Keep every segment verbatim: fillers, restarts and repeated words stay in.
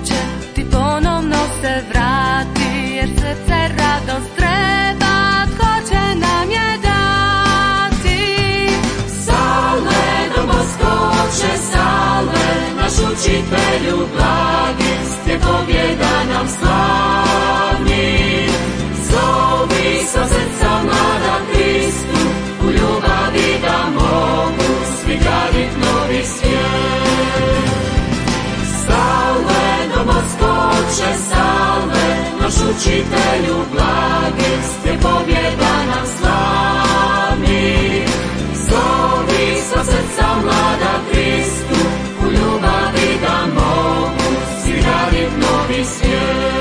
će ti ponovno se vrati, jer srce radost treba, tko će nam je dati. Salve Don Bosco, oče, salve, naš učitelju blagi, stje pobjeda nam slavni. Zovi sva srca mlada Kristu, u ljubavi da mogu svi gradit novi svijet. Salve Don Bosco, oče, salve, naš učitelju blagi, stje pobjeda nam slavni. Zovi sva srca mlada Kristu, u ljubavi da mogu svi gradit novi svijet.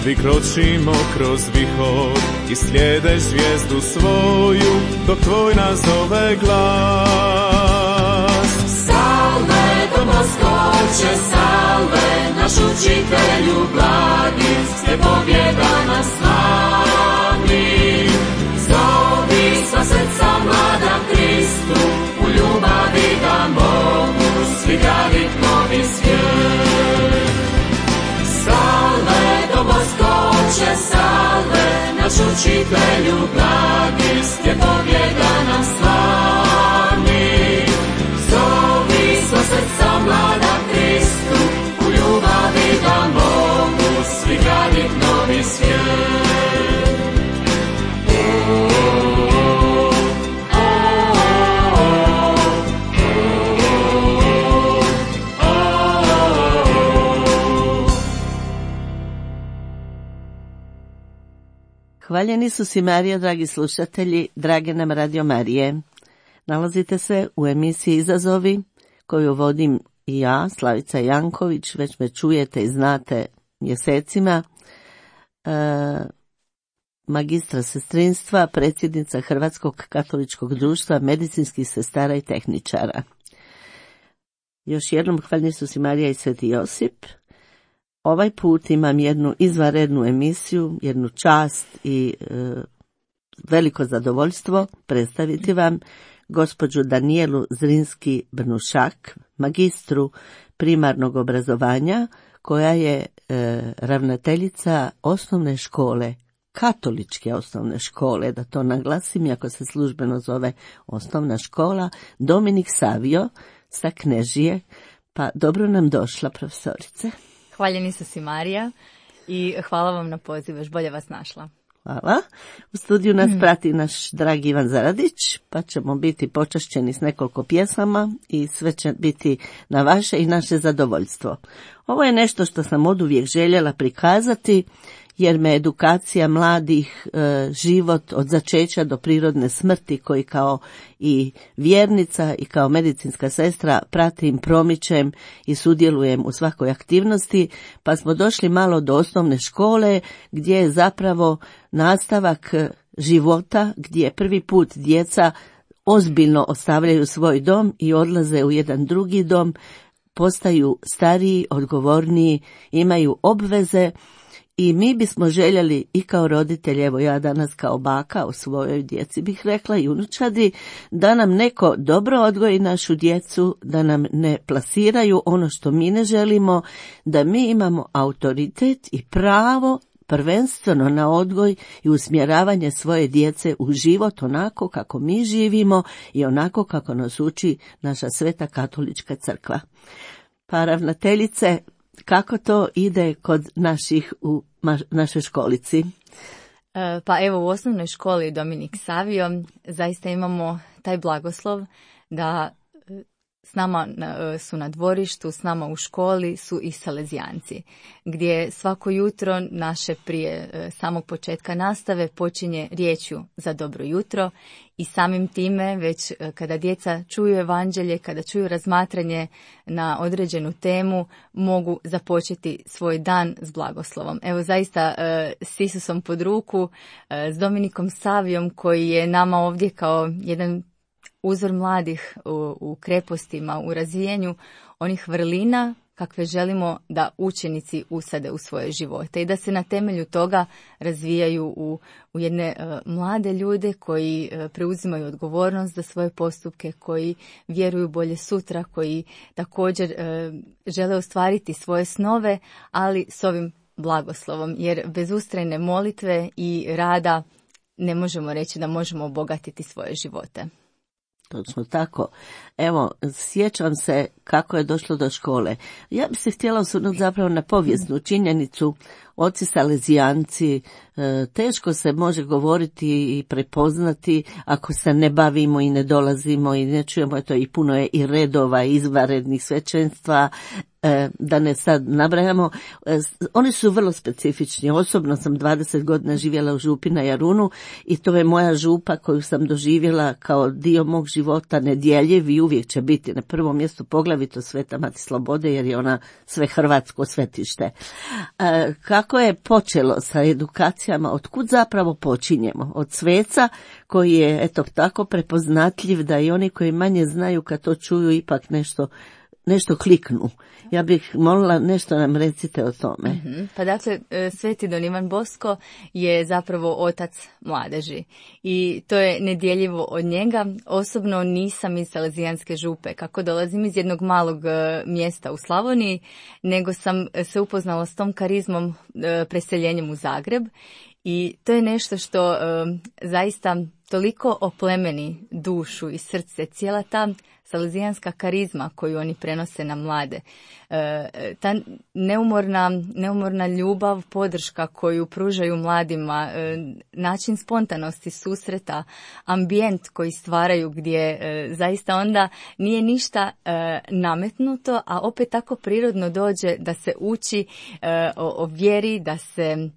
Svi kročimo kroz vihor i slijede zvijezdu svoju, dok tvoj nas zove glas. Salve Don Bosco, oče, salve, naš učitelju blagi, stje pobjeda nam slavni. Zovi sva srca mlada Kristu, u ljubavi da mogu svi gradit novi svijet. Salve Don Bosco, oče, salve, naš učitelju blagi, stje pobjeda nam slavni. Zovi sva srca mlada Kristu, u ljubavi da mogu svi gradit novi svijet. Hvaljeni su si Marija, dragi slušatelji, drage nam Radio Marije. Nalazite se u emisiji Izazovi, koju vodim i ja, Slavica Janković, već me čujete i znate mjesecima, e, magistra sestrinstva, predsjednica Hrvatskog katoličkog društva medicinskih sestara i tehničara. Još jednom hvaljeni su si Marija i Sveti Josip. Ovaj put imam jednu izvanrednu emisiju, jednu čast i e, veliko zadovoljstvo predstaviti vam gospođu Danijelu Zrinski-Brnušak, magistru primarnog obrazovanja, koja je e, ravnateljica osnovne škole, katoličke osnovne škole, da to naglasim, iako se službeno zove osnovna škola, Dominik Savio sa Knežije. Pa dobro nam došla, profesorice. Hvaljeni su si Marija i hvala vam na pozivu, još bolje vas našla. Hvala. U studiju nas prati naš dragi Ivan Zaradić, pa ćemo biti počašćeni s nekoliko pjesama i sve će biti na vaše i naše zadovoljstvo. Ovo je nešto što sam oduvijek željela prikazati, jer me edukacija mladih, e, život od začeća do prirodne smrti, koji kao i vjernica i kao medicinska sestra pratim, promičem i sudjelujem u svakoj aktivnosti, pa smo došli malo do osnovne škole, gdje je zapravo nastavak života, gdje prvi put djeca ozbiljno ostavljaju svoj dom i odlaze u jedan drugi dom, postaju stariji, odgovorniji, imaju obveze. I mi bismo željeli i kao roditelji, evo ja danas kao baka u svojoj djeci bih rekla i unučadi, da nam neko dobro odgoji našu djecu, da nam ne plasiraju ono što mi ne želimo, da mi imamo autoritet i pravo prvenstveno na odgoj i usmjeravanje svoje djece u život onako kako mi živimo i onako kako nas uči naša Sveta katolička crkva. Pa ravnateljice, kako to ide kod naših u ma- našoj školici? E, pa evo, u osnovnoj školi Dominik Savio zaista imamo taj blagoslov da s nama su na dvorištu, s nama u školi su i salezijanci, gdje svako jutro naše prije samog početka nastave počinje riječju za dobro jutro i samim time već kada djeca čuju evanđelje, kada čuju razmatranje na određenu temu, mogu započeti svoj dan s blagoslovom. Evo zaista s Isusom pod ruku, s Dominikom Savijom koji je nama ovdje kao jedan uzor mladih u, u krepostima, u razvijenju onih vrlina kakve želimo da učenici usade u svoje živote i da se na temelju toga razvijaju u, u jedne uh, mlade ljude koji uh, preuzimaju odgovornost za svoje postupke, koji vjeruju bolje sutra, koji također uh, žele ostvariti svoje snove, ali s ovim blagoslovom, jer bez ustrajne molitve i rada ne možemo reći da možemo obogatiti svoje živote. Točno tako. Evo, sjećam se kako je došlo do škole. Ja bih se htjela osvrnuti zapravo na povijesnu činjenicu. Oci Salezijanci, teško se može govoriti i prepoznati ako se ne bavimo i ne dolazimo i ne čujemo, to i puno je i redova, izvanrednih svećenstva, da ne sad nabrajamo. Oni su vrlo specifični. Osobno sam dvadeset godina živjela u župi na Jarunu i to je moja župa koju sam doživjela kao dio mog života, nedjeljiv i uvijek će biti na prvom mjestu, poglavito Sveta Mati Slobode, jer je ona sve hrvatsko svetište. Kako je počelo sa edukacijama, otkud zapravo počinjemo? Od sveca koji je eto tako prepoznatljiv da i oni koji manje znaju kad to čuju ipak nešto nešto kliknu. Ja bih molila nešto nam recite o tome. Mm-hmm. Pa dakle, Sveti Don Ivan Bosko je zapravo otac mladeži i to je nedjeljivo od njega. Osobno nisam iz Salezijanske župe, kako dolazim iz jednog malog mjesta u Slavoniji, nego sam se upoznala s tom karizmom preseljenjem u Zagreb i to je nešto što zaista toliko oplemeni dušu i srce, cijela ta salezijanska karizma koju oni prenose na mlade. E, ta neumorna, neumorna ljubav, podrška koju pružaju mladima, e, način spontanosti, susreta, ambijent koji stvaraju gdje e, zaista onda nije ništa e, nametnuto, a opet tako prirodno dođe da se uči e, o, o vjeri, da se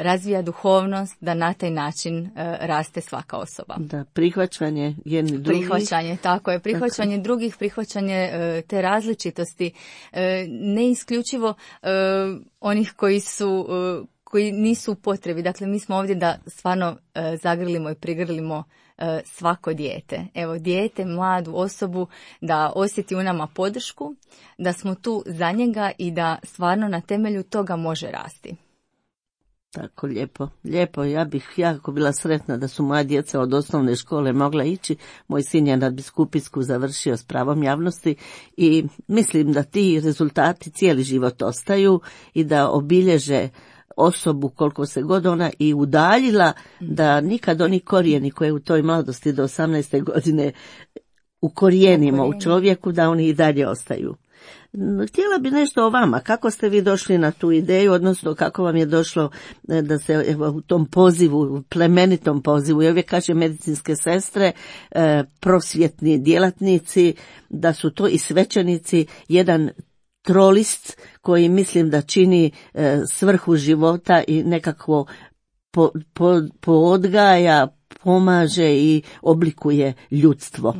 razvija duhovnost, da na taj način uh, raste svaka osoba. Da, prihvaćanje jedni drugih. Prihvaćanje, tako je. Prihvaćanje tako. drugih, prihvaćanje uh, te različitosti. Uh, ne isključivo uh, onih koji su uh, koji nisu u potrebi. Dakle, mi smo ovdje da stvarno uh, zagrlimo i prigrlimo uh, svako dijete. Evo, dijete, mladu osobu, da osjeti u nama podršku, da smo tu za njega i da stvarno na temelju toga može rasti. Tako, lijepo, lijepo. Ja bih jako bila sretna da su moja djeca od osnovne škole mogla ići. Moj sin je nadbiskupijsku završio s pravom javnosti i mislim da ti rezultati cijeli život ostaju i da obilježe osobu koliko se god ona i udaljila, da nikad oni korijeni koje u toj mladosti do osamnaeste godine ukorijenimo u čovjeku, da oni i dalje ostaju. Htjela bi nešto o vama. Kako ste vi došli na tu ideju, odnosno kako vam je došlo da se evo, u tom pozivu, plemenitom pozivu, ja uvijek kažem medicinske sestre, prosvjetni djelatnici, da su to i svećenici, jedan trolist koji mislim da čini svrhu života i nekakvo po, po, poodgaja, pomaže i oblikuje ljudstvo.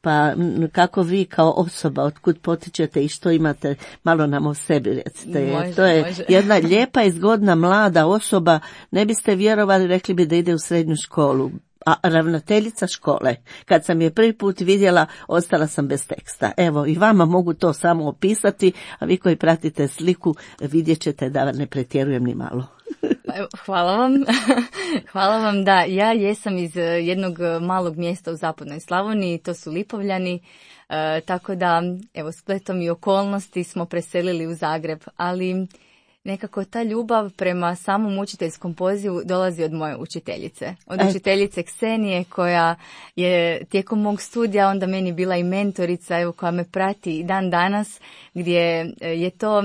Pa kako vi kao osoba, otkud potičete i što imate, malo nam o sebi recite. Može, to je može. jedna lijepa i zgodna mlada osoba, ne biste vjerovali, rekli bi da ide u srednju školu. A ravnateljica škole, kad sam je prvi put vidjela, ostala sam bez teksta. Evo, i vama mogu to samo opisati, a vi koji pratite sliku vidjet ćete da ne pretjerujem ni malo. Hvala vam. Hvala vam, da. Ja jesam iz jednog malog mjesta u zapadnoj Slavoniji, to su Lipovljani, e, tako da, evo, spletom i okolnosti smo preselili u Zagreb, ali nekako ta ljubav prema samom učiteljskom pozivu dolazi od moje učiteljice. Od učiteljice Ksenije koja je tijekom mog studija onda meni bila i mentorica, evo, koja me prati i dan danas, gdje je to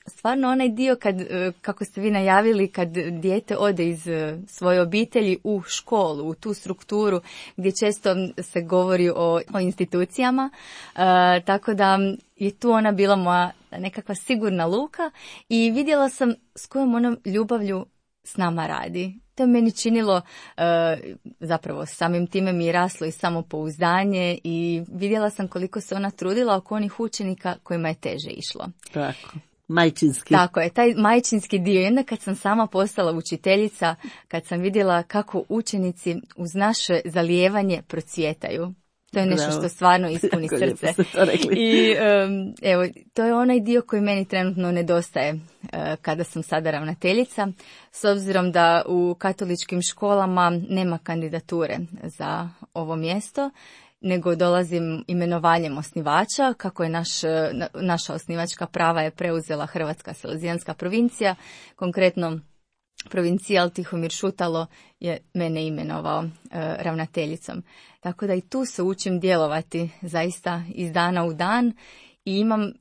stvarno onaj dio kad, kako ste vi najavili, kad dijete ode iz svoje obitelji u školu, u tu strukturu gdje često se govori o, o institucijama, e, tako da je tu ona bila moja nekakva sigurna luka i vidjela sam s kojom onom ljubavlju s nama radi. To je meni činilo, e, zapravo samim time mi je raslo i samopouzdanje i vidjela sam koliko se ona trudila oko onih učenika kojima je teže išlo. Tako. Majčinski. Tako je, taj majčinski dio. I onda kad sam sama postala učiteljica, kad sam vidjela kako učenici uz naše zalijevanje procvjetaju, To je nešto Bravo. što stvarno ispuni Jako lijepo srce. ste to rekli. I um, evo, to je onaj dio koji meni trenutno nedostaje uh, kada sam sada ravnateljica, s obzirom da u katoličkim školama nema kandidature za ovo mjesto, nego dolazim imenovanjem osnivača, kako je naš, naša osnivačka prava je preuzela Hrvatska salezijanska provincija, konkretno provincijal Tihomir Šutalo je mene imenovao e, ravnateljicom. Tako da i tu se učim djelovati zaista iz dana u dan i imam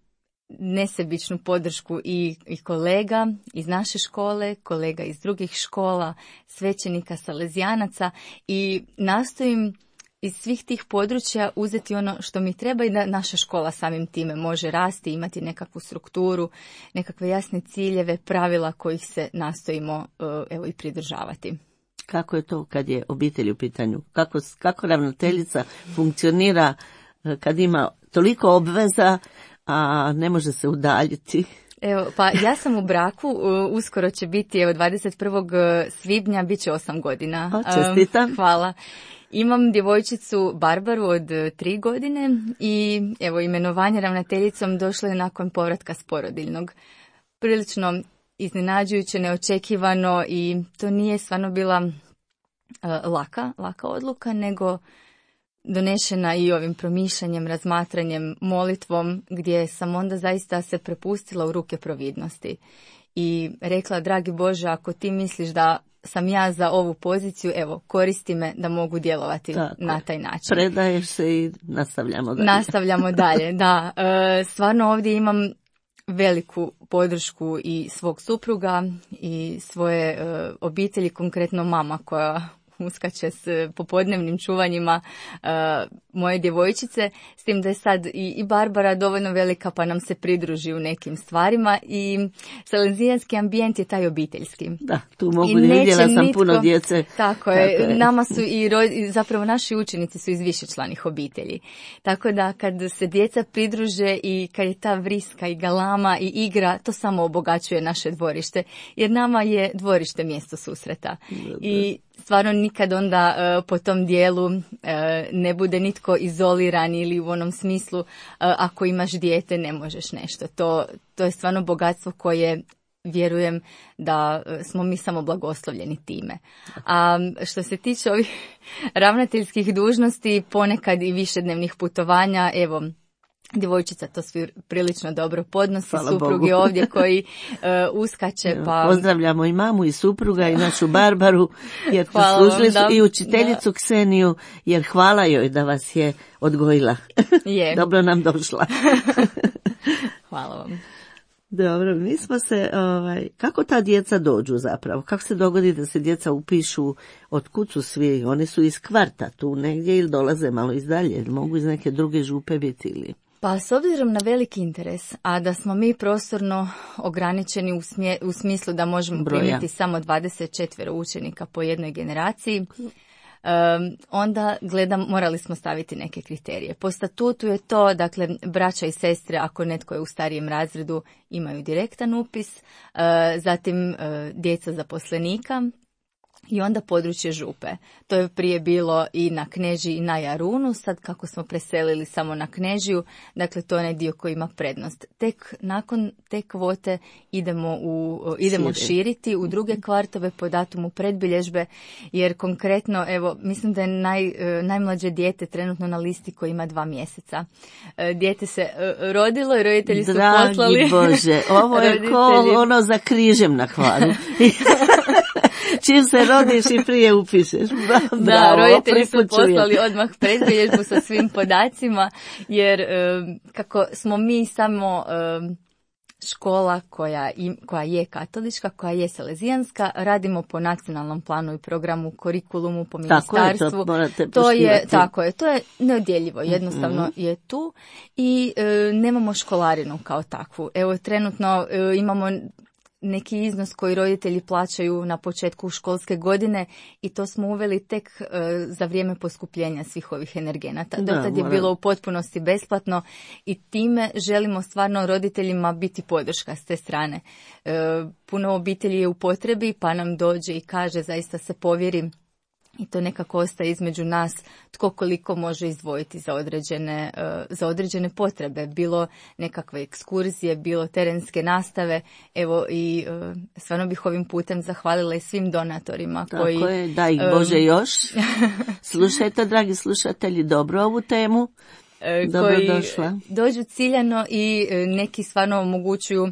nesebičnu podršku i, i kolega iz naše škole, kolega iz drugih škola, svećenika, salezijanaca i nastojim iz svih tih područja uzeti ono što mi treba i da naša škola samim time može rasti, imati nekakvu strukturu, nekakve jasne ciljeve, pravila kojih se nastojimo evo i pridržavati. Kako je to kad je obitelj u pitanju? Kako, kako ravnateljica funkcionira kad ima toliko obveza, a ne može se udaljiti? Evo, pa ja sam u braku, uskoro će biti, evo dvadeset prvog svibnja, bit će osam godina. O, čestitam. Um, hvala. Imam djevojčicu Barbaru od tri godine i evo imenovanje ravnateljicom došlo je nakon povratka s porodiljnog. Prilično iznenađujuće, neočekivano i to nije stvarno bila uh, laka, laka odluka, nego donešena i ovim promišljanjem, razmatranjem, molitvom, gdje sam onda zaista se prepustila u ruke providnosti. I rekla, dragi Bože, ako ti misliš da sam ja za ovu poziciju, evo, koristi me da mogu djelovati tako na taj način. Predaješ se i nastavljamo dalje. Nastavljamo dalje, da. E, stvarno ovdje imam veliku podršku i svog supruga i svoje e, obitelji, konkretno mama koja uskače s popodnevnim čuvanjima uh, moje djevojčice, s tim da je sad i, i Barbara dovoljno velika pa nam se pridruži u nekim stvarima i salezijanski ambijent je taj obiteljski. Da, tu mogu vidjela sam nitko, puno djece. Tako, tako je, je, nama su i ro, zapravo naši učenici su iz višečlanih obitelji. Tako da kad se djeca pridruže i kad je ta vriska i galama i igra, to samo obogaćuje naše dvorište, jer nama je dvorište mjesto susreta. Da, da. I stvarno nikad onda uh, po tom dijelu uh, ne bude nitko izoliran ili u onom smislu uh, ako imaš dijete ne možeš nešto. To, to je stvarno bogatstvo koje vjerujem da uh, smo mi samo blagoslovljeni time. A što se tiče ovih ravnateljskih dužnosti, ponekad i višednevnih putovanja, evo, djevojčica to svi prilično dobro podnosi, Hvala suprug Bogu. je ovdje koji uh, uskače. Pa... Pozdravljamo i mamu i supruga i našu Barbaru, jer služili su i učiteljicu da. Kseniju, jer hvala joj da vas je odgojila. Je. Dobro nam došla. Hvala vam. Dobro, mi smo se, ovaj, kako ta djeca dođu zapravo? Kako se dogodi da se djeca upišu, od kud su svi? Oni su iz kvarta tu negdje ili dolaze malo izdalje? Mogu iz neke druge župe biti ili... Pa s obzirom na veliki interes, a da smo mi prostorno ograničeni u, smje, u smislu da možemo Broja. primiti samo dvadeset četiri učenika po jednoj generaciji, um, onda gledam, morali smo staviti neke kriterije. Po statutu je to, dakle, braća i sestre, ako netko je u starijem razredu, imaju direktan upis, uh, zatim uh, djeca zaposlenika, i onda područje župe. To je prije bilo i na Knežiji i na Jarunu, sad kako smo preselili samo na Knežiju, dakle to je onaj dio koji ima prednost. Tek nakon te kvote idemo, u, idemo širiti u druge kvartove po datumu predbilježbe, jer konkretno, evo, mislim da je naj, najmlađe dijete trenutno na listi koji ima dva mjeseca. Dijete se rodilo i roditelji su Dragi poslali. Bože, ovo je roditelji... ko ono za križem na Hvaru. Čim se rodiš i prije upišeš. Bravo, da, roditelji su poslali odmah predbilježbu sa svim podacima, jer um, kako smo mi samo um, škola koja, im, koja je katolička, koja je salezijanska, radimo po nacionalnom planu i programu, kurikulumu, po ministarstvu. Tako je, to morate to je, tako je, to je neodjeljivo, jednostavno mm-hmm. je tu i e, nemamo školarinu kao takvu. Evo, trenutno e, imamo neki iznos koji roditelji plaćaju na početku školske godine i to smo uveli tek uh, za vrijeme poskupljenja svih ovih energenata. Do tad je bilo u potpunosti besplatno i time želimo stvarno roditeljima biti podrška s te strane. Uh, puno obitelji je u potrebi pa nam dođe i kaže, zaista se povjeri i to nekako ostaje između nas tko koliko može izdvojiti za određene, za određene potrebe, bilo nekakve ekskurzije, bilo terenske nastave. Evo i stvarno bih ovim putem zahvalila i svim donatorima. Tako koji, je, da ih Bože um, još. Slušajte, dragi slušatelji, dobro ovu temu. Dobro koji došla. Dođu ciljano i neki stvarno omogućuju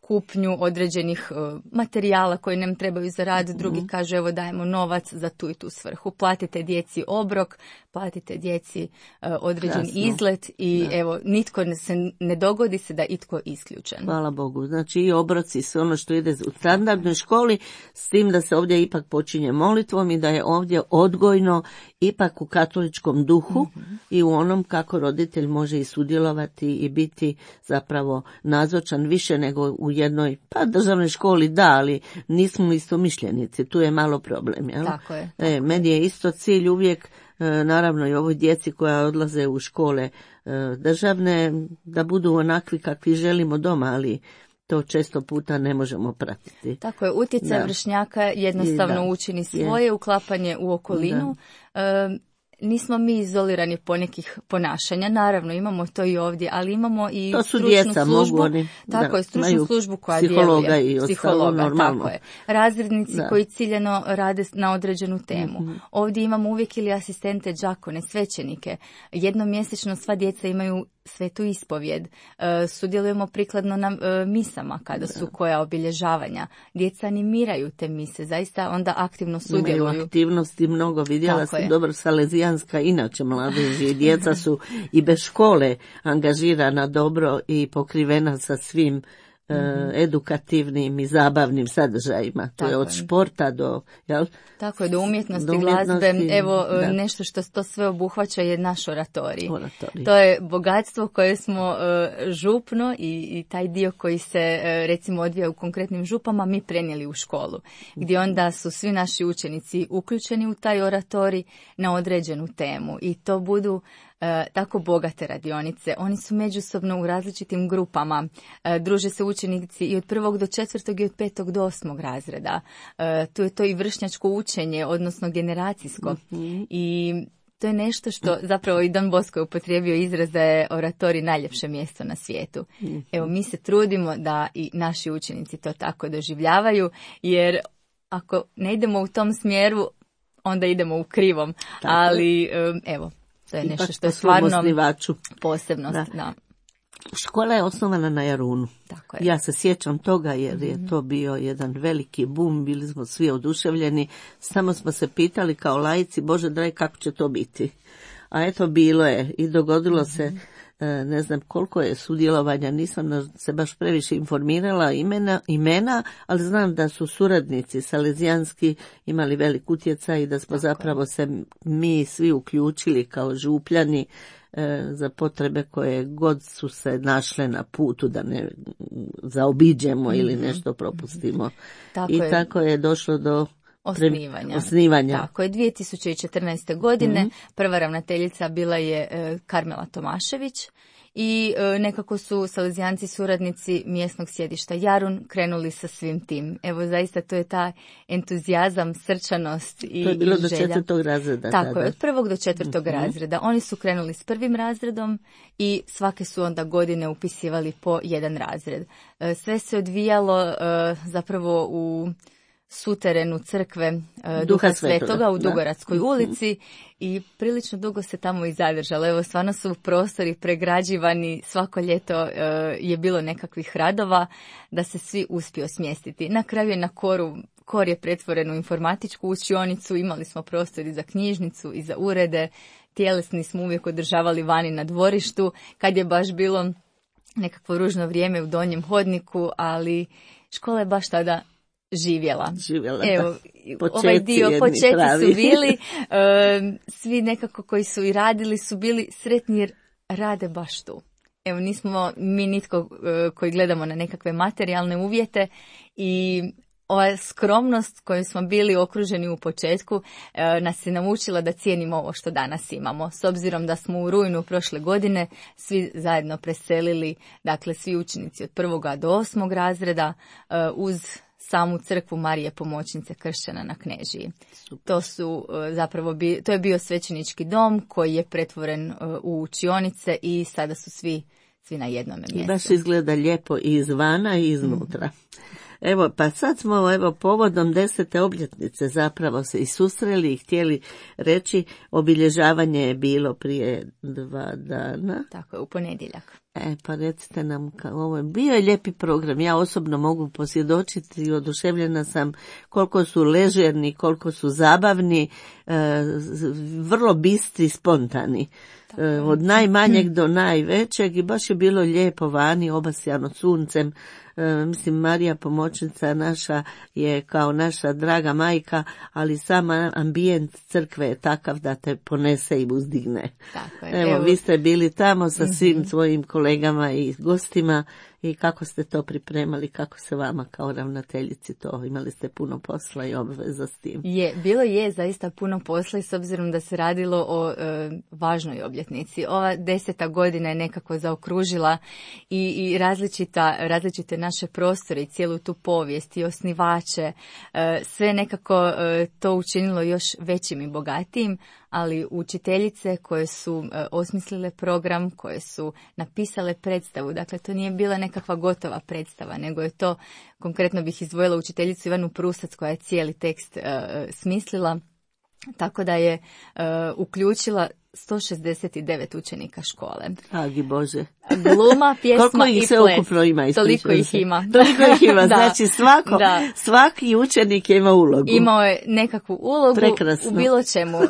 kupnju određenih uh, materijala koji nam trebaju za rad, drugi mm. kaže evo dajemo novac za tu i tu svrhu. Platite djeci obrok, platite djeci uh, određen Krasno. izlet i da. evo nitko ne, se ne dogodi se da itko isključen. Hvala Bogu. Znači i obroci sve ono što ide u standardnoj školi, s tim da se ovdje ipak počinje molitvom i da je ovdje odgojno ipak u katoličkom duhu mm-hmm. i u onom kako roditelj može i sudjelovati i biti zapravo nazočan više nego u jednoj, pa državnoj školi da, ali nismo istomišljenici, tu je malo problem. Jel? Tako je. Tako e, meni je isto cilj uvijek, e, naravno i ovoj djeci koja odlaze u škole e, državne, da budu onakvi kakvi želimo doma, ali to često puta ne možemo pratiti. Tako je, utjecaj da. vršnjaka jednostavno da. učini svoje, je. uklapanje u okolinu. E, Nismo mi izolirani po nekih ponašanja, naravno imamo to i ovdje, ali imamo i to su stručnu djeca, službu, mogu oni, tako da, je, stručnu službu koja psihologa djeluje, i psihologa, normalno. tako je, razrednici da. koji ciljano rade na određenu temu. Mm-hmm. Ovdje imamo uvijek ili asistente, đakone, svećenike, jednomjesečno sva djeca imaju svetu ispovjed, e, sudjelujemo prikladno na e, misama kada su koja obilježavanja, djeca animiraju te mise, zaista onda aktivno sudjeluju. Imaju aktivnosti mnogo, vidjela sam dobro Salezijanska, inače mladeži i djeca su i bez škole angažirana dobro i pokrivena sa svim mm-hmm. edukativnim i zabavnim sadržajima. To je od športa do, jel? Tako je, do umjetnosti, do umjetnosti glazbe. Evo, da. nešto što to sve obuhvaća je naš oratorij. oratorij. To je bogatstvo koje smo uh, župno i, i taj dio koji se uh, recimo odvija u konkretnim župama mi prenijeli u školu. Gdje onda su svi naši učenici uključeni u taj oratorij na određenu temu i to budu E, tako bogate radionice. Oni su međusobno u različitim grupama. E, druže se učenici i od prvog do četvrtog i od petog do osmog razreda. E, tu je to i vršnjačko učenje, odnosno generacijsko. Mm-hmm. I to je nešto što zapravo i Don Bosco je upotrijebio izraz da je oratorij najljepše mjesto na svijetu. Mm-hmm. Evo, mi se trudimo da i naši učenici to tako doživljavaju, jer ako ne idemo u tom smjeru, onda idemo u krivom. Tako. Ali, evo, to je ipak nešto što je stvarno posebnost. Da. Da. Škola je osnovana na Jarunu. Tako je. Ja se sjećam toga jer je to bio jedan veliki bum, bili smo svi oduševljeni, samo smo se pitali kao laici, Bože dragi, kako će to biti. A eto, bilo je i dogodilo mm-hmm. se, ne znam koliko je sudjelovanja, nisam se baš previše informirala imena, imena, ali znam da su suradnici salezijanski imali velik utjecaj i da smo Tako zapravo je. se mi svi uključili kao župljani e, za potrebe koje god su se našle na putu da ne zaobiđemo mm-hmm. ili nešto propustimo. Tako I je. tako je došlo do Osnivanja. Osnivanja. Tako je, dvije tisuće četrnaeste. godine mm-hmm. prva ravnateljica bila je e, Karmela Tomašević i e, nekako su salezijanci suradnici mjesnog sjedišta Jarun krenuli sa svim tim. Evo, zaista to je ta entuzijazam, srčanost i To je bilo i do želja. četvrtog razreda. Tako tada. je, od prvog do četvrtog mm-hmm. razreda. Oni su krenuli s prvim razredom i svake su onda godine upisivali po jedan razred. E, sve se odvijalo e, zapravo u suterenu crkve uh, Duha Svetoga u Dugoradskoj da. ulici i prilično dugo se tamo i zadržalo. Evo, stvarno su prostori pregrađivani, svako ljeto uh, je bilo nekakvih radova da se svi uspio smjestiti. Na kraju je na koru, kor je pretvoren u informatičku učionicu, imali smo prostor i za knjižnicu i za urede, tjelesni smo uvijek održavali vani na dvorištu, kad je baš bilo nekakvo ružno vrijeme u donjem hodniku, ali škola je baš tada živjela. živjela Evo, ovaj dio, počeci pravi. su bili, uh, svi nekako koji su i radili su bili sretni jer rade baš tu. Evo, nismo mi nitko uh, koji gledamo na nekakve materijalne uvjete i ova skromnost koju smo bili okruženi u početku uh, nas je naučila da cijenimo ovo što danas imamo. S obzirom da smo u rujnu prošle godine svi zajedno preselili, dakle svi učenici od prvoga do osmog razreda uh, uz samu crkvu Marije Pomoćnice kršćana na Knežiji. To su zapravo bi, to je bio svećenički dom koji je pretvoren u učionice i sada su svi svi na jednom mjestu. I baš izgleda lijepo i izvana i iznutra. Evo, pa sad smo evo povodom desete obljetnice zapravo se i susreli i htjeli reći, obilježavanje je bilo prije dva dana. Tako je, u ponedjeljak. E, pa recite nam, kao ovo je bio je lijepi program. Ja osobno mogu posvjedočiti i oduševljena sam koliko su ležerni, koliko su zabavni, e, vrlo bistri, spontani. E, od najmanjeg do najvećeg i baš je bilo lijepo vani, obasjano suncem. E, mislim, Marija Pomoćnica naša je kao naša draga majka, ali sama ambijent crkve je takav da te ponese i uzdigne. Tako je. Evo, Evo, vi ste bili tamo sa svim mm-hmm. svojim kolegama i gostima i kako ste to pripremali, kako se vama kao ravnateljici to, imali ste puno posla i obveza s tim? Je, bilo je zaista puno posla i s obzirom da se radilo o e, važnoj obljetnici. Ova deseta godina je nekako zaokružila i, i različita, različite naše prostore i cijelu tu povijest i osnivače, e, sve nekako e, to učinilo još većim i bogatijim, ali učiteljice koje su e, osmislile program, koje su napisale predstavu, dakle to nije bila nekakva gotova predstava, nego je to, konkretno bih izdvojila učiteljicu Ivanu Prusac koja je cijeli tekst e, smislila, tako da je e, uključila sto šezdeset devet učenika škole. Agi Bože. Gluma, pjesma koliko ih i se ples. Ukupno ima, Toliko ih ima. Toliko ih ima, Da. znači svako, Da. svaki učenik je imao ulogu. Imao je nekakvu ulogu Prekrasno. u bilo čemu. E,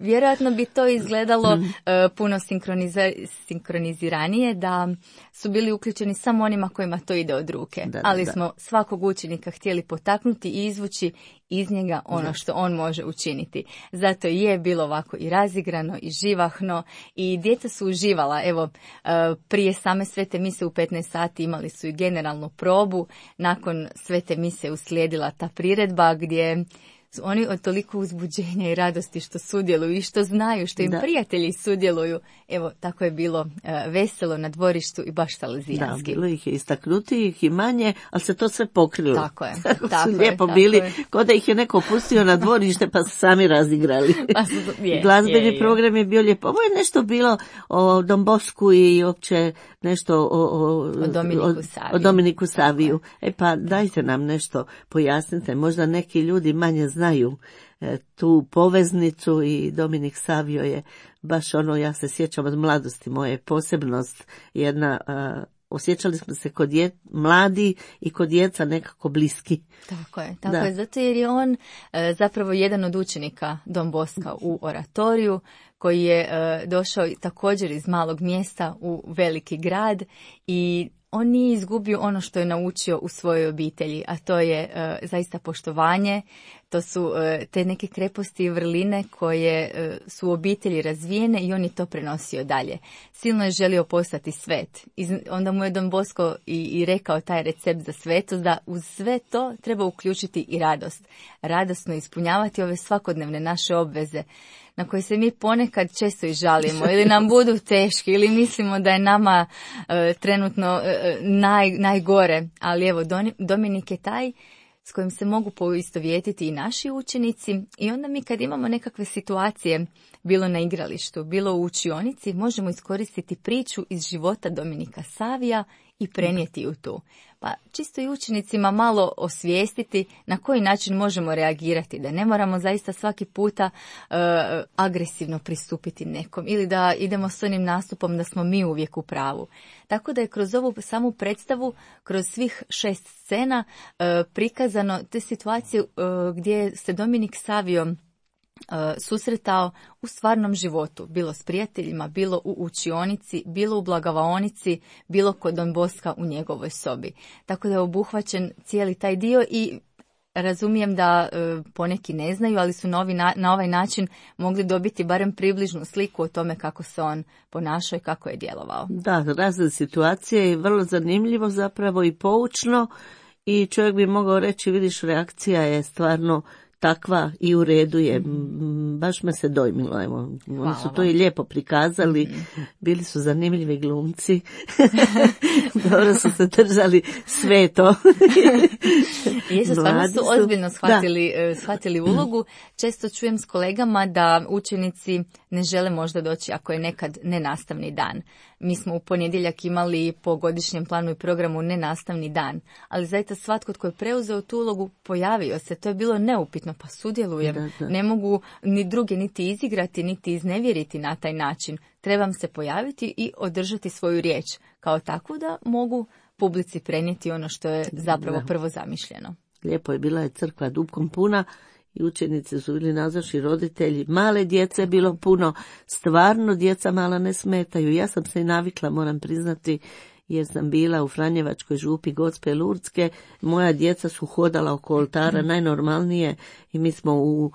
vjerojatno bi to izgledalo Mm. e, puno sinkroniza- sinkroniziranije da su bili uključeni samo onima kojima to ide od ruke. Da, da, Ali da. smo svakog učenika htjeli potaknuti i izvući iz njega ono Da. što on može učiniti. Zato i je bilo ovako i razigrano i živahno i djeca su uživala. Evo, e, prije same svete mise u petnaest sati imali su i generalnu probu. Nakon svete mise uslijedila ta priredba gdje su oni od toliko uzbuđenja i radosti što sudjeluju i što znaju, što im Da. prijatelji sudjeluju. Evo, tako je bilo e, veselo na dvorištu i baš Da, salesijanski. bilo ih je istaknutijih i manje, ali se to sve pokrilo. Tako je, Tako tako su je, lijepo tako bili, je. ko da ih je neko pustio na dvorište pa su sami razigrali. Pa su- je, Glazbeni je, je. program je bio lijepo. Ovo je nešto bilo o Don Bosku i opće nešto o, o, O Dominiku Saviju. o Dominiku Saviju. E pa dajte nam nešto, pojasnite. Možda neki ljudi manje znaju e, tu poveznicu i Dominik Savio je baš ono, ja se sjećam od mladosti moje, posebnost jedna, a, osjećali smo se kod dje, mladi i kod djeca nekako bliski. Tako je, tako Da. je, zato jer je on e, zapravo jedan od učenika Don Boska u oratoriju, koji je e, došao također iz malog mjesta u veliki grad i on nije izgubio ono što je naučio u svojoj obitelji, a to je e, zaista poštovanje, to su e, te neke kreposti i vrline koje e, su u obitelji razvijene i on je to prenosio dalje. Silno je želio postati svet. I onda mu je Don Bosco i, i rekao taj recept za svetost, da uz sve to treba uključiti i radost. Radosno ispunjavati ove svakodnevne naše obveze na koje se mi ponekad često i žalimo ili nam budu teški ili mislimo da je nama e, trenutno e, naj, najgore. Ali evo, Doni- Dominik je taj s kojim se mogu poistovjetiti i naši učenici i onda mi kad imamo nekakve situacije, bilo na igralištu, bilo u učionici, možemo iskoristiti priču iz života Dominika Savija i prenijeti ju tu. Pa čisto i učenicima malo osvijestiti na koji način možemo reagirati, da ne moramo zaista svaki puta e, agresivno pristupiti nekom ili da idemo s onim nastupom da smo mi uvijek u pravu. Tako da je kroz ovu samu predstavu, kroz svih šest scena e, prikazano te situacije e, gdje se Dominik Savio susretao u stvarnom životu, bilo s prijateljima, bilo u učionici, bilo u blagavaonici, bilo kod Don Boska u njegovoj sobi. Tako da je obuhvaćen cijeli taj dio i razumijem da e, poneki ne znaju, ali su na, ovi na, na ovaj način mogli dobiti barem približnu sliku o tome kako se on ponašao i kako je djelovao. Da, razne situacije i vrlo zanimljivo zapravo i poučno i čovjek bi mogao reći, vidiš, reakcija je stvarno takva i u redu je. Baš me se dojmilo, evo. Oni su to i lijepo prikazali, mm-hmm. bili su zanimljivi glumci, dobro su se držali sve to. Jesu, stvarno su ozbiljno shvatili, shvatili ulogu. Često čujem s kolegama da učenici ne žele možda doći ako je nekad nenastavni dan. Mi smo u ponedjeljak imali po godišnjem planu i programu nenastavni dan, ali zaista svatko tko je preuzeo tu ulogu pojavio se, to je bilo neupitno, pa sudjelujem, da, da. Ne mogu ni druge niti izigrati, niti iznevjeriti na taj način. Trebam se pojaviti i održati svoju riječ, kao takvu da mogu publici prenijeti ono što je zapravo da. prvo zamišljeno. Lijepo je, bila je crkva dupkom puna, i učenici su bili nazočni, roditelji, male djece je bilo puno, stvarno djeca mala ne smetaju. Ja sam se i navikla, moram priznati, jer sam bila u Franjevačkoj župi Gospe Lurdske, moja djeca su hodala oko oltara najnormalnije i mi smo u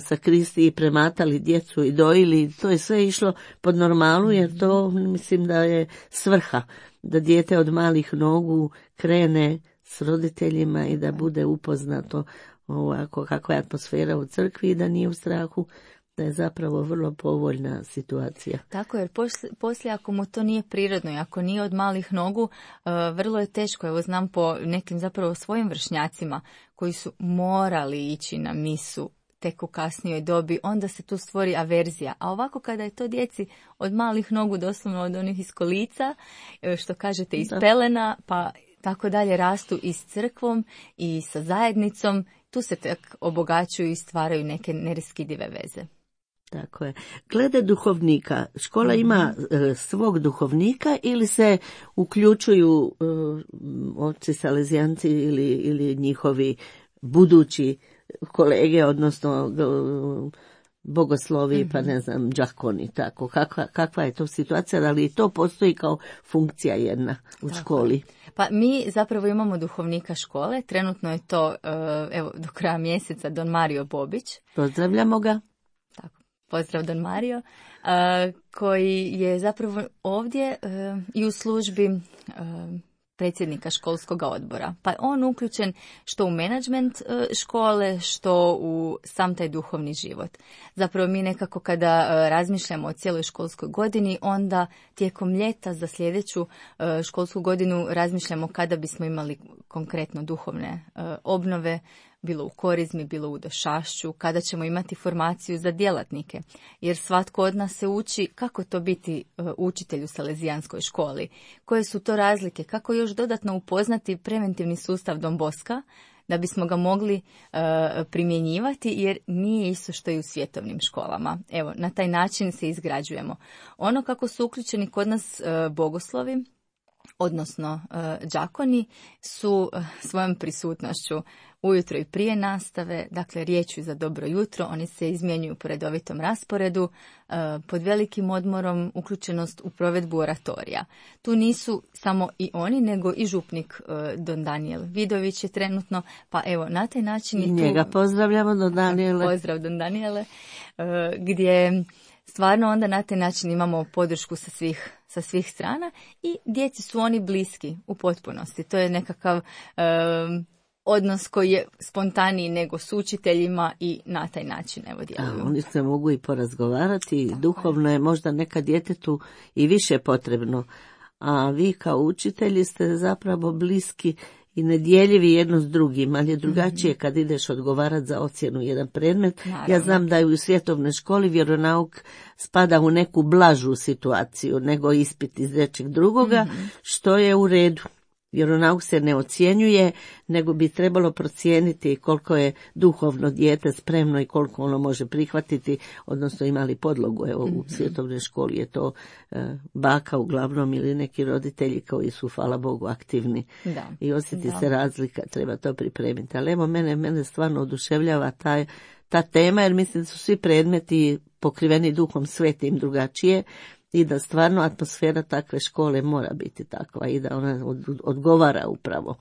sakristiji prematali djecu i dojili, to je sve išlo pod normalu, jer to mislim da je svrha, da dijete od malih nogu krene s roditeljima i da bude upoznato ovako kakva je atmosfera u crkvi i da nije u strahu, da je zapravo vrlo povoljna situacija. Tako, jer poslije, poslije ako mu to nije prirodno i ako nije od malih nogu, uh, vrlo je teško. Evo znam po nekim zapravo svojim vršnjacima koji su morali ići na misu tek u kasnijoj dobi, onda se tu stvori averzija. A ovako kada je to djeci od malih nogu, doslovno od onih iz kolica, što kažete iz da. pelena, pa tako dalje rastu i s crkvom i sa zajednicom, tu se tek obogaćuju i stvaraju neke neraskidive veze. Tako je. Glede duhovnika, škola mm-hmm. ima e, svog duhovnika ili se uključuju e, oci salezijanci ili, ili njihovi budući kolege, odnosno e, bogoslovi, mm-hmm. pa ne znam, đakoni, tako. Kakva, kakva je to situacija, ali i to postoji kao funkcija jedna u tako. školi? Pa mi zapravo imamo duhovnika škole, trenutno je to, evo, do kraja mjeseca Don Mario Bobić. Pozdravljamo ga. Tako, pozdrav Don Mario, koji je zapravo ovdje i u službi predsjednika školskog odbora. Pa on uključen što u menadžment škole, što u sam taj duhovni život. Zapravo mi nekako kada razmišljamo o cijeloj školskoj godini, onda tijekom ljeta za sljedeću školsku godinu razmišljamo kada bismo imali konkretno duhovne obnove, bilo u korizmi, bilo u došašću, kada ćemo imati formaciju za djelatnike. Jer svatko od nas se uči kako to biti učitelj u salezijanskoj školi, koje su to razlike, kako još dodatno upoznati preventivni sustav Don Boska, da bismo ga mogli uh, primjenjivati, jer nije isto što i u svjetovnim školama. Evo, na taj način se izgrađujemo. Ono kako su uključeni kod nas uh, bogoslovi, odnosno uh, đakoni, su uh, svojom prisutnošću ujutro i prije nastave, dakle riječju za dobro jutro, oni se izmjenjuju po redovitom rasporedu, uh, pod velikim odmorom uključenost u provedbu oratorija. Tu nisu samo i oni, nego i župnik uh, Don Daniel Vidović je trenutno, pa evo na taj način je tu... Njega pozdravljamo, Don Daniele. Pozdrav Don Daniele, uh, gdje stvarno onda na taj način imamo podršku sa svih, sa svih strana i djeci su oni bliski u potpunosti. To je nekakav um, odnos koji je spontaniji nego s učiteljima i na taj način evo djeluju. A, oni se mogu i porazgovarati, tako duhovno je možda neka djetetu i više potrebno, a vi kao učitelji ste zapravo bliski i nedjeljivi jedno s drugim, ali je drugačije mm-hmm. kad ideš odgovarati za ocjenu jedan predmet. Naravno. Ja znam da je u svjetovnoj školi vjeronauk spada u neku blažu situaciju nego ispit iz nečeg drugoga, mm-hmm. što je u redu. Vjeronauk se ne ocjenjuje, nego bi trebalo procijeniti koliko je duhovno dijete spremno i koliko ono može prihvatiti, odnosno imali podlogu. Evo, mm-hmm. u svjetovnoj školi je to e, baka uglavnom ili neki roditelji koji su, hvala Bogu, aktivni. Da. I osjeti da. se razlika, treba to pripremiti. Ali evo, mene, mene stvarno oduševljava taj, ta tema, jer mislim da su svi predmeti pokriveni Duhom Svetim drugačije, i da stvarno atmosfera takve škole mora biti takva i da ona odgovara upravo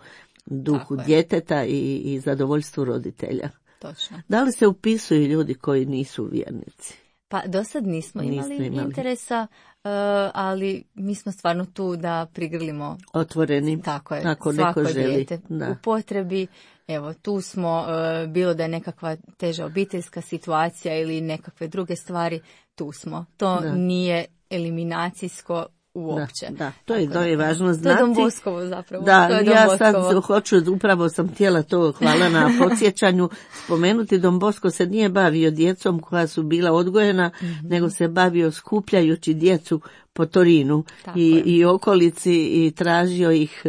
duhu djeteta i, i zadovoljstvu roditelja. Točno. Da li se upisuju ljudi koji nisu vjernici? Pa do sad nismo imali, nismo imali. interesa, uh, ali mi smo stvarno tu da prigrlimo otvoreni, tako je, ako svako neko želi. dijete da. u potrebi Evo, tu smo, uh, bilo da je nekakva teža obiteljska situacija ili nekakve druge stvari, tu smo. To da. Nije eliminacijsko uopće. Da, da, to je, to je važno znati. To je Don Boskovo zapravo. Da, to je ja Don sad Boskovo. hoću, upravo sam htjela to, hvala na podsjećanju, spomenuti. Don Bosko se nije bavio djecom koja su bila odgojena, mm-hmm. nego se bavio skupljajući djecu po Torinu i, i okolici i tražio ih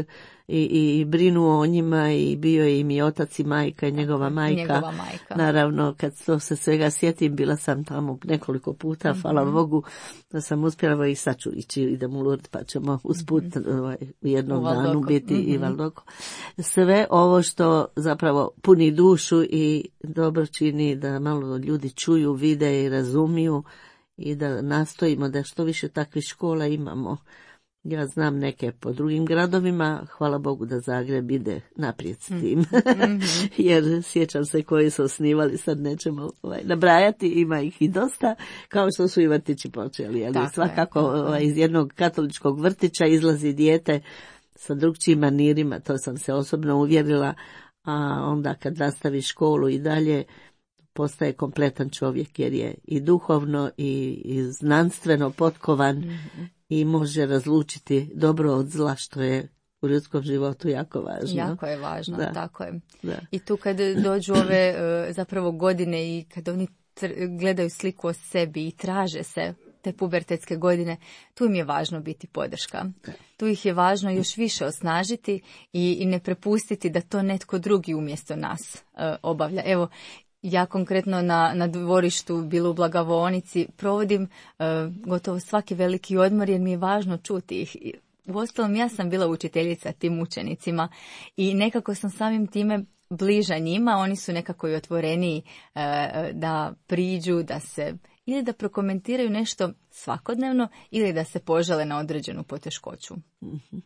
i, i brinuo o njima i bio je im i otac i majka i njegova majka. Njegova majka. Naravno, kad to se svega sjetim, bila sam tamo nekoliko puta, mm-hmm. hvala Bogu, da sam uspjela i sad ću ići, idem u Lourdes, pa ćemo usput mm-hmm. ovaj, u jednom u danu biti mm-hmm. i Valdoko. Sve ovo što zapravo puni dušu i dobro čini da malo ljudi čuju, vide i razumiju i da nastojimo da što više takvih škola imamo. Ja znam neke po drugim gradovima, hvala Bogu da Zagreb ide naprijed s tim, mm-hmm. jer sjećam se koji su osnivali, sad nećemo ovaj, nabrajati, ima ih i dosta, kao što su i vrtići počeli, ali tako svakako je, ovaj, iz jednog katoličkog vrtića izlazi dijete sa drugčijim manirima, to sam se osobno uvjerila, a onda kad nastavi školu i dalje, postaje kompletan čovjek jer je i duhovno i, i znanstveno potkovan mm-hmm. i može razlučiti dobro od zla, što je u ljudskom životu jako važno. Jako je važno, da. Tako je. Da. I tu kad dođu ove zapravo godine i kad oni gledaju sliku o sebi i traže se te pubertetske godine, tu im je važno biti podrška. Da. Tu ih je važno još više osnažiti i, i ne prepustiti da to netko drugi umjesto nas uh, obavlja. Evo, ja konkretno na, na dvorištu, bilo u Blagovonici, provodim uh, gotovo svaki veliki odmor jer mi je važno čuti ih. Uostalom, ja sam bila učiteljica tim učenicima i nekako sam samim time bliža njima, oni su nekako i otvoreniji uh, da priđu, da se ili da prokomentiraju nešto svakodnevno ili da se požale na određenu poteškoću. Mm-hmm.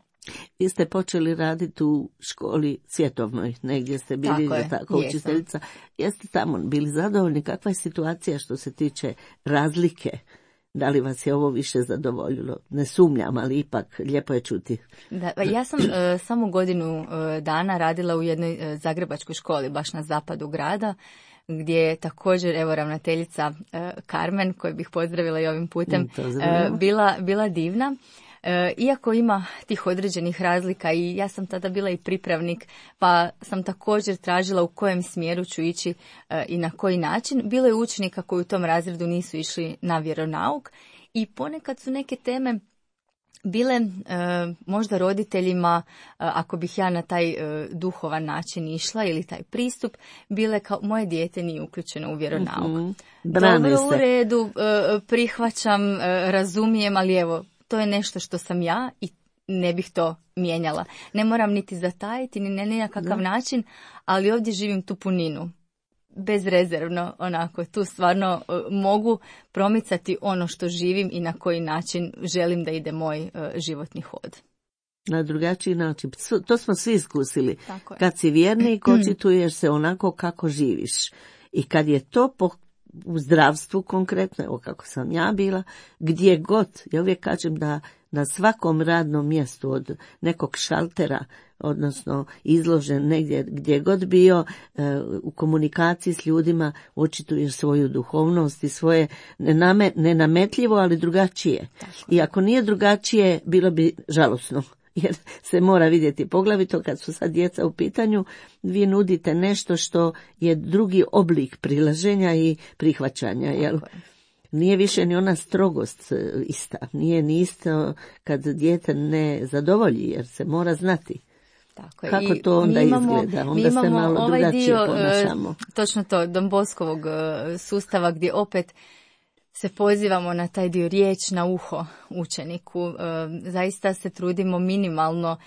Vi ste počeli raditi u školi svjetovnoj, negdje ste bili tako, tako učiteljica. Jeste tamo bili zadovoljni? Kakva je situacija što se tiče razlike? Da li vas je ovo više zadovoljilo? Ne sumnjam, ali ipak lijepo je čuti. Da, ja sam uh, samo godinu uh, dana radila u jednoj uh, zagrebačkoj školi, baš na zapadu grada, gdje je također, evo, ravnateljica uh, Carmen, koju bih pozdravila i ovim putem, uh, bila, bila divna. E, iako ima tih određenih razlika i ja sam tada bila i pripravnik, pa sam također tražila u kojem smjeru ću ići e, i na koji način. Bilo je učenika koji u tom razredu nisu išli na vjeronauk i ponekad su neke teme bile e, možda roditeljima, e, ako bih ja na taj e, duhovan način išla ili taj pristup, bile kao moje dijete nije uključeno u vjeronauk. Mm-hmm. Dobro, u redu, e, prihvaćam, e, razumijem, ali evo, to je nešto što sam ja i ne bih to mijenjala. Ne moram niti zatajiti, ni na nekakav da. način, ali ovdje živim tu puninu. Bezrezervno, onako, tu stvarno uh, mogu promicati ono što živim i na koji način želim da ide moj uh, životni hod. Na drugačiji način. To smo svi iskusili. Kad si vjernik, očituješ se onako kako živiš. I kad je to po u zdravstvu konkretno, evo kako sam ja bila, gdje god, ja uvijek kažem da na svakom radnom mjestu od nekog šaltera, odnosno izložen negdje gdje god bio, u komunikaciji s ljudima očituješ svoju duhovnost i svoje nename, nenametljivo, ali drugačije. Tako. I ako nije drugačije, bilo bi žalosno. Jer se mora vidjeti, poglavito kad su sad djeca u pitanju, vi nudite nešto što je drugi oblik prilaženja i prihvaćanja. Jel? Nije više ni ona strogost ista, nije ni isto kad dijete ne zadovolji, jer se mora znati. Tako je. Kako to onda imamo, izgleda? Onda se malo ovaj drugačije dio, ponašamo. Točno to, Don Boskovog sustava gdje opet se pozivamo na taj dio riječ na uho učeniku. Zaista se trudimo minimalno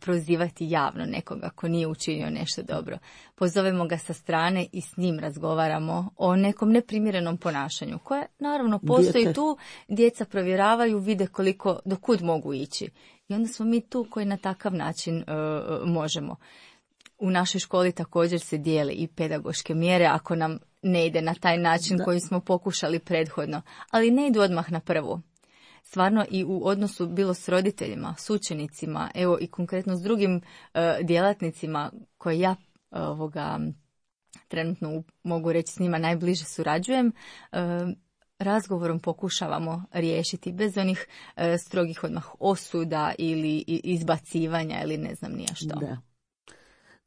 prozivati javno nekoga ako nije učinio nešto dobro. Pozovemo ga sa strane i s njim razgovaramo o nekom neprimjerenom ponašanju koje naravno postoji Dijete. tu. Djeca provjeravaju, vide koliko, do kud mogu ići. I onda smo mi tu koji na takav način uh, možemo. U našoj školi također se dijele i pedagoške mjere ako nam ne ide na taj način da. koji smo pokušali prethodno, ali ne idu odmah na prvu. Stvarno i u odnosu bilo s roditeljima, s učenicima, evo i konkretno s drugim uh, djelatnicima koje ja ovoga, trenutno mogu reći s njima najbliže surađujem, razgovorom pokušavamo riješiti bez onih strogih odmah osuda ili izbacivanja ili ne znam nija što. Da.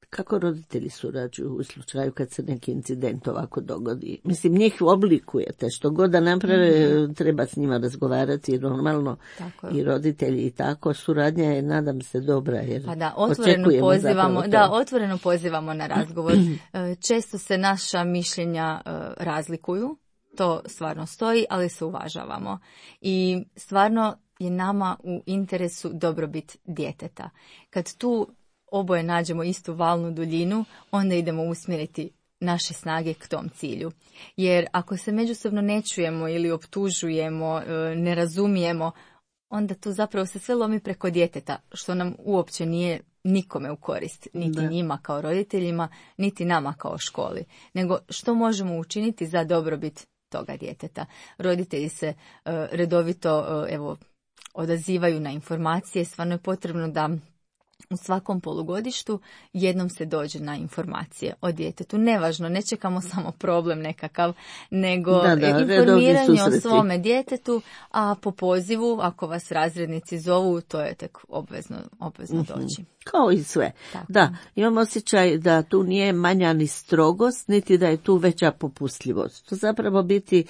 Kako roditelji surađuju u slučaju kad se neki incident ovako dogodi? Mislim, njih oblikujete, što god da naprave, mm-hmm. treba s njima razgovarati normalno i roditelji i tako. Suradnja je, nadam se, dobra jer pa da, otvoreno pozivamo, da, otvoreno pozivamo na razgovor. Često se naša mišljenja razlikuju, to stvarno stoji, ali se uvažavamo. I stvarno je nama u interesu dobrobit djeteta. Kad tu oboje nađemo istu valnu duljinu, onda idemo usmjeriti naše snage k tom cilju. Jer ako se međusobno ne čujemo ili optužujemo, ne razumijemo, onda tu zapravo se sve lomi preko djeteta, što nam uopće nije nikome u korist, niti da. njima kao roditeljima, niti nama kao školi. Nego što možemo učiniti za dobrobit toga djeteta. Roditelji se uh, redovito uh, evo, odazivaju na informacije, stvarno je potrebno da u svakom polugodištu jednom se dođe na informacije o djetetu. Nevažno, ne čekamo samo problem nekakav, nego da, da, informiranje o svome djetetu, a po pozivu, ako vas razrednici zovu, to je tek obvezno, obvezno mm-hmm. doći. Kao i sve. Tako. Da, imam osjećaj da tu nije manja ni strogost, niti da je tu veća popustljivost. To zapravo biti,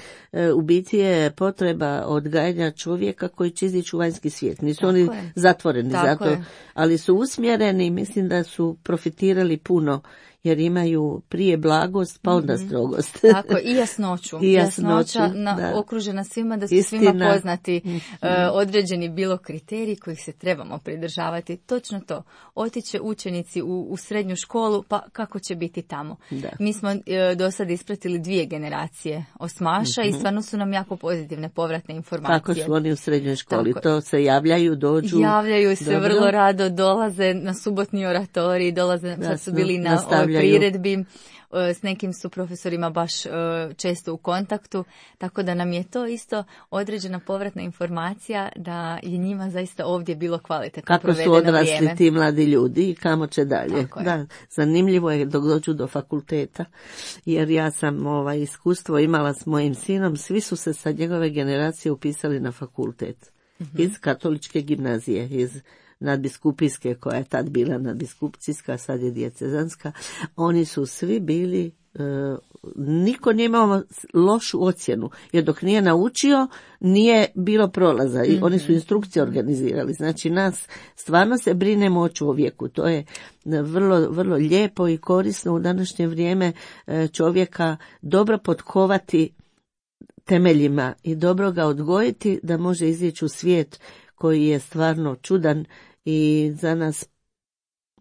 u biti je potreba odgajanja čovjeka koji će izići u vanjski svijet. Nisu Tako oni je. zatvoreni Tako zato, je. ali su usmjereni, mislim da su profitirali puno, jer imaju prije blagost, pa onda strogost. Tako, i jasnoću. I jasnoću, Jasnoća na, da. okružena svima, da su Istina. svima poznati uh, određeni bilo kriteriji kojih se trebamo pridržavati. Točno to. Otiće učenici u, u srednju školu, pa kako će biti tamo? Da. Mi smo uh, do sad ispratili dvije generacije osmaša uh-huh. i stvarno su nam jako pozitivne povratne informacije. Kako su oni u srednjoj školi? Tako. To se javljaju, dođu? Javljaju se Dobro. vrlo rado, dolaze na subotni oratorij, dolaze, sad su bili na priredbi, s nekim su profesorima baš često u kontaktu, tako da nam je to isto određena povratna informacija da je njima zaista ovdje bilo kvalitetno provedeno vrijeme. Kako su odrasli ti mladi ljudi i kamo će dalje. Da, zanimljivo je dok dođu do fakulteta, jer ja sam ovaj, iskustvo imala s mojim sinom, svi su se sa njegove generacije upisali na fakultet. Mm-hmm. Iz katoličke gimnazije, iz nadbiskupijske, koja je tad bila nadbiskupcijska, sad je dijecezanska, oni su svi bili, e, niko nije imao lošu ocjenu, jer dok nije naučio, nije bilo prolaza i mm-hmm. oni su instrukcije organizirali. Znači nas stvarno se brinemo o čovjeku, to je vrlo, vrlo lijepo i korisno u današnje vrijeme e, čovjeka dobro potkovati temeljima i dobro ga odgojiti da može izići u svijet koji je stvarno čudan i za nas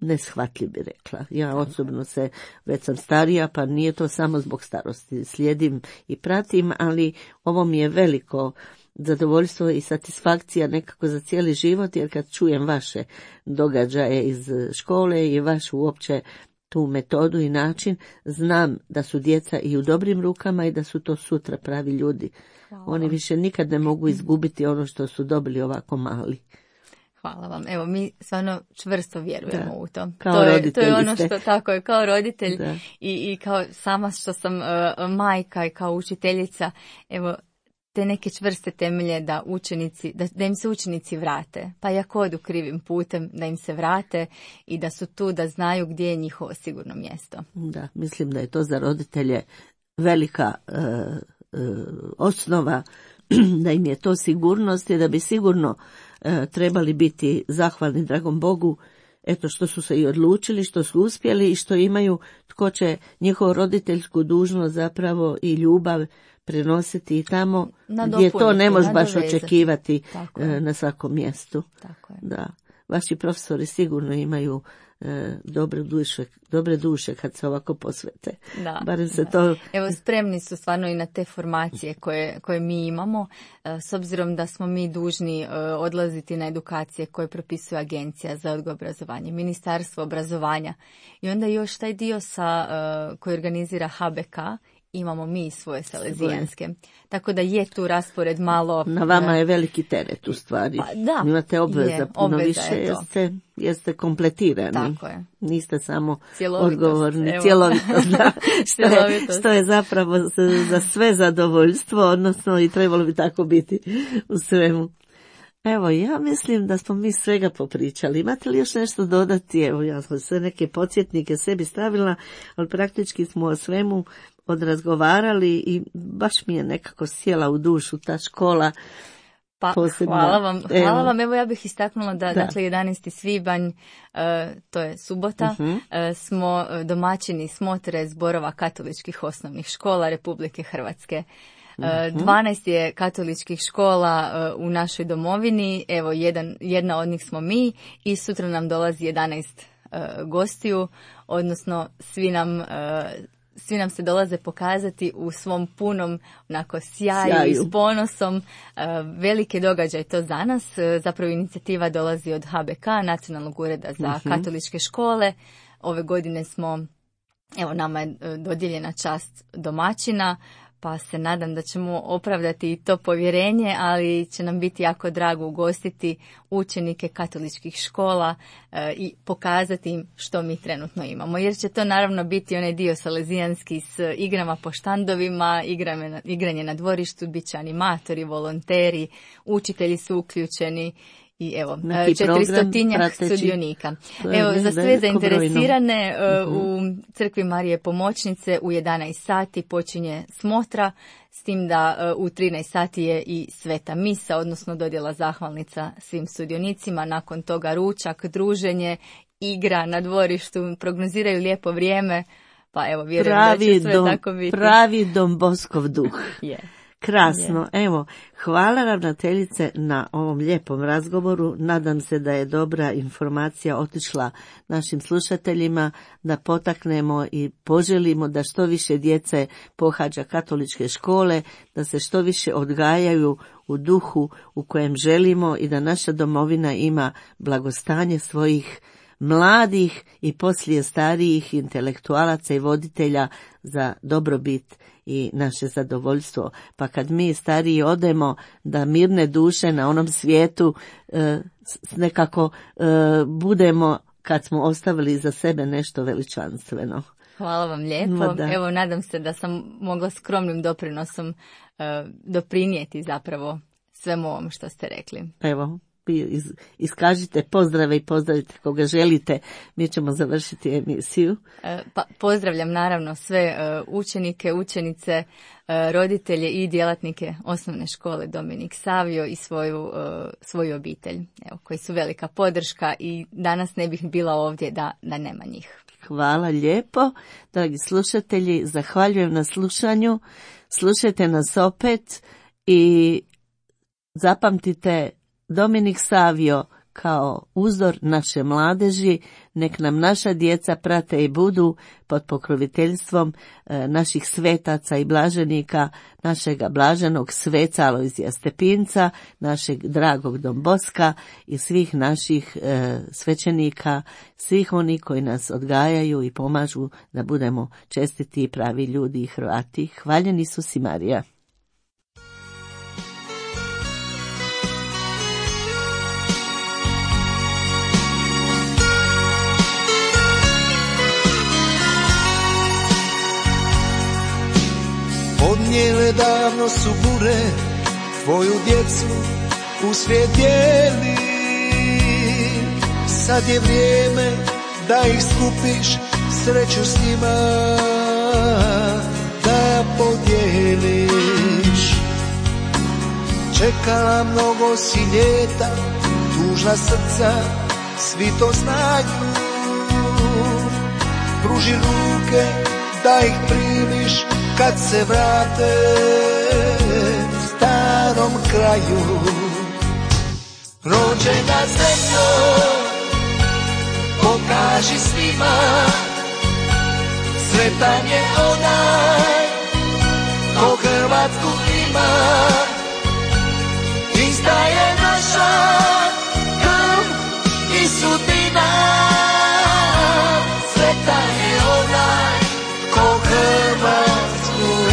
neshvatljiv, bi rekla. Ja osobno se, već sam starija, pa nije to samo zbog starosti. Slijedim i pratim, ali ovo mi je veliko zadovoljstvo i satisfakcija nekako za cijeli život, jer kad čujem vaše događaje iz škole i vašu uopće tu metodu i način, znam da su djeca i u dobrim rukama i da su to sutra pravi ljudi. Hvala. Oni više nikad ne mogu izgubiti ono što su dobili ovako mali. Hvala vam. Evo, mi stvarno čvrsto vjerujemo da. u to. Kao to, je, to je ono što, tako je, kao roditelj i, i kao sama što sam uh, majka i kao učiteljica, evo, te neke čvrste temelje da učenici, da, da im se učenici vrate, pa i ako odu krivim putem, da im se vrate i da su tu, da znaju gdje je njihovo sigurno mjesto. Da, mislim da je to za roditelje velika uh, uh, osnova, da im je to sigurnost i da bi sigurno uh, trebali biti zahvalni dragom Bogu, eto što su se i odlučili, što su uspjeli i što imaju tko će njihovu roditeljsku dužnost zapravo i ljubav prenositi i tamo gdje to ne možeš baš očekivati na svakom mjestu. Tako je. Da. Vaši profesori sigurno imaju e, dobre duše, dobre duše kad se ovako posvete. Da, Barem se da. to... Evo, spremni su stvarno i na te formacije koje, koje mi imamo, e, s obzirom da smo mi dužni e, odlaziti na edukacije koje propisuje Agencija za odgoj i obrazovanje, Ministarstvo obrazovanja. I onda još taj dio sa, e, koji organizira H B K imamo mi svoje salezijanske. Tako da je tu raspored malo... Na vama je veliki teret u stvari. Pa, da, imate obveza je, puno obveza više, je jeste, jeste kompletirani. Tako je. Niste samo Cjelovitost, odgovorni. evo. Cjelovitost, da. što, je, što je zapravo za, za sve zadovoljstvo, odnosno i trebalo bi tako biti u svemu. Evo, ja mislim da smo mi svega popričali. Imate li još nešto dodati? Evo, ja sam sve neke podsjetnike sebi stavila, ali praktički smo o svemu odrazgovarali i baš mi je nekako sjela u dušu ta škola. Pa, posebno. hvala vam, hvala Evo. vam. Evo ja bih istaknula da, Da. dakle, jedanaesti svibanj, uh, to je subota, Mhm. uh, smo domaćini smotre zborova katoličkih osnovnih škola Republike Hrvatske. Uh, dvanaest je katoličkih škola uh, u našoj domovini, evo jedan, jedna od njih smo mi i sutra nam dolazi jedanaest uh, gostiju, odnosno svi nam... Uh, Svi nam se dolaze pokazati u svom punom onako sjaju, Sjaju. i s ponosom. E, veliki događaj to za nas. E, zapravo inicijativa dolazi od H B K, Nacionalnog ureda za Mhm. katoličke škole. Ove godine smo, evo nama je e, dodijeljena čast domaćina, pa se nadam da ćemo opravdati i to povjerenje, ali će nam biti jako drago ugostiti učenike katoličkih škola e, i pokazati im što mi trenutno imamo. Jer će to naravno biti onaj dio salezijanski s igrama po štandovima, igrame na- igranje na dvorištu, bit će animatori, volonteri, učitelji su uključeni. I evo, Neki četiristotinjak program prateći. sudionika. To je Evo, za veliko sve brojno. zainteresirane e, Mhm. u Crkvi Marije Pomoćnice u jedanaest sati počinje smotra, s tim da e, u trinaest sati je i sveta misa, odnosno dodjela zahvalnica svim sudionicima. Nakon toga ručak, druženje, igra na dvorištu, prognoziraju lijepo vrijeme, pa evo, vjerujem da Pravi će sve dom, tako biti. pravi Dom Boskov duh. Je. Krasno, evo, hvala ravnateljice na ovom lijepom razgovoru. Nadam se da je dobra informacija otišla našim slušateljima, da potaknemo i poželimo da što više djece pohađa katoličke škole, da se što više odgajaju u duhu u kojem želimo i da naša domovina ima blagostanje svojih mladih i poslije starijih intelektualaca i voditelja za dobrobit i naše zadovoljstvo. Pa kad mi stariji odemo, da mirne duše na onom svijetu e, s- nekako e, budemo, kad smo ostavili za sebe nešto veličanstveno. Hvala vam lijepo. Ma da. Evo, nadam se da sam mogla skromnim doprinosom e, doprinijeti zapravo svemu ovom što ste rekli. Evo, vi iz, iskažite pozdrave i pozdravite koga želite. Mi ćemo završiti emisiju. E, pa pozdravljam naravno sve e, učenike, učenice, e, roditelje i djelatnike osnovne škole Dominik Savio i svoju, e, svoju obitelj, evo, koji su velika podrška i danas ne bih bila ovdje da, da nema njih. Hvala lijepo, dragi slušatelji, zahvaljujem na slušanju, slušajte nas opet i zapamtite Dominik Savio kao uzor naše mladeži, nek nam naša djeca prate i budu pod pokroviteljstvom e, naših svetaca i blaženika, našega blaženog sveca Alojzija Stepinca, našeg dragog Don Boska i svih naših e, svećenika, svih oni koji nas odgajaju i pomažu da budemo čestiti i pravi ljudi i Hrvati. Hvaljen Isus i Marija. Odnijele davno su bure, tvoju djecu u svijet dijeli. Sad je vrijeme da ih skupiš, sreću s njima da podijeliš. Čekala mnogo si ljeta, tužna srca, svi to znaju. Pruži ruke da ih primiš kad se vrate starom kraju. Rođena zemljo, pokaži svima, sretan je onaj ko Hrvatsku ima. Ista je naša krv i sudbina, sretan je onaj ko Hrvatsku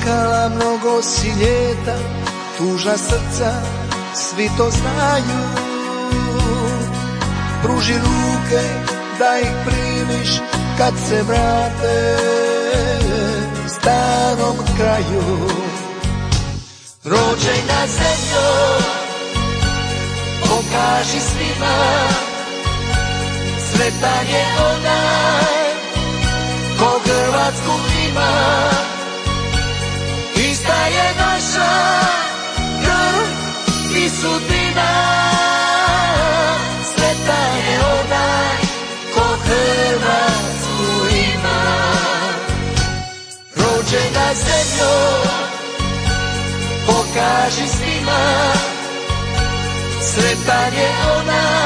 čekala mnogo si ljeta, tužna srca, svi to znaju. Pruži ruke da ih primiš kad se vrate starom kraju. Rođena zemljo, pokaži svima, sretan je onaj ko Hrvatsku ima. Ista je naša krv i sudbina, sretan je onaj ko Hrvatsku ima. Rođena zemljo, pokaži svima, sretan je onaj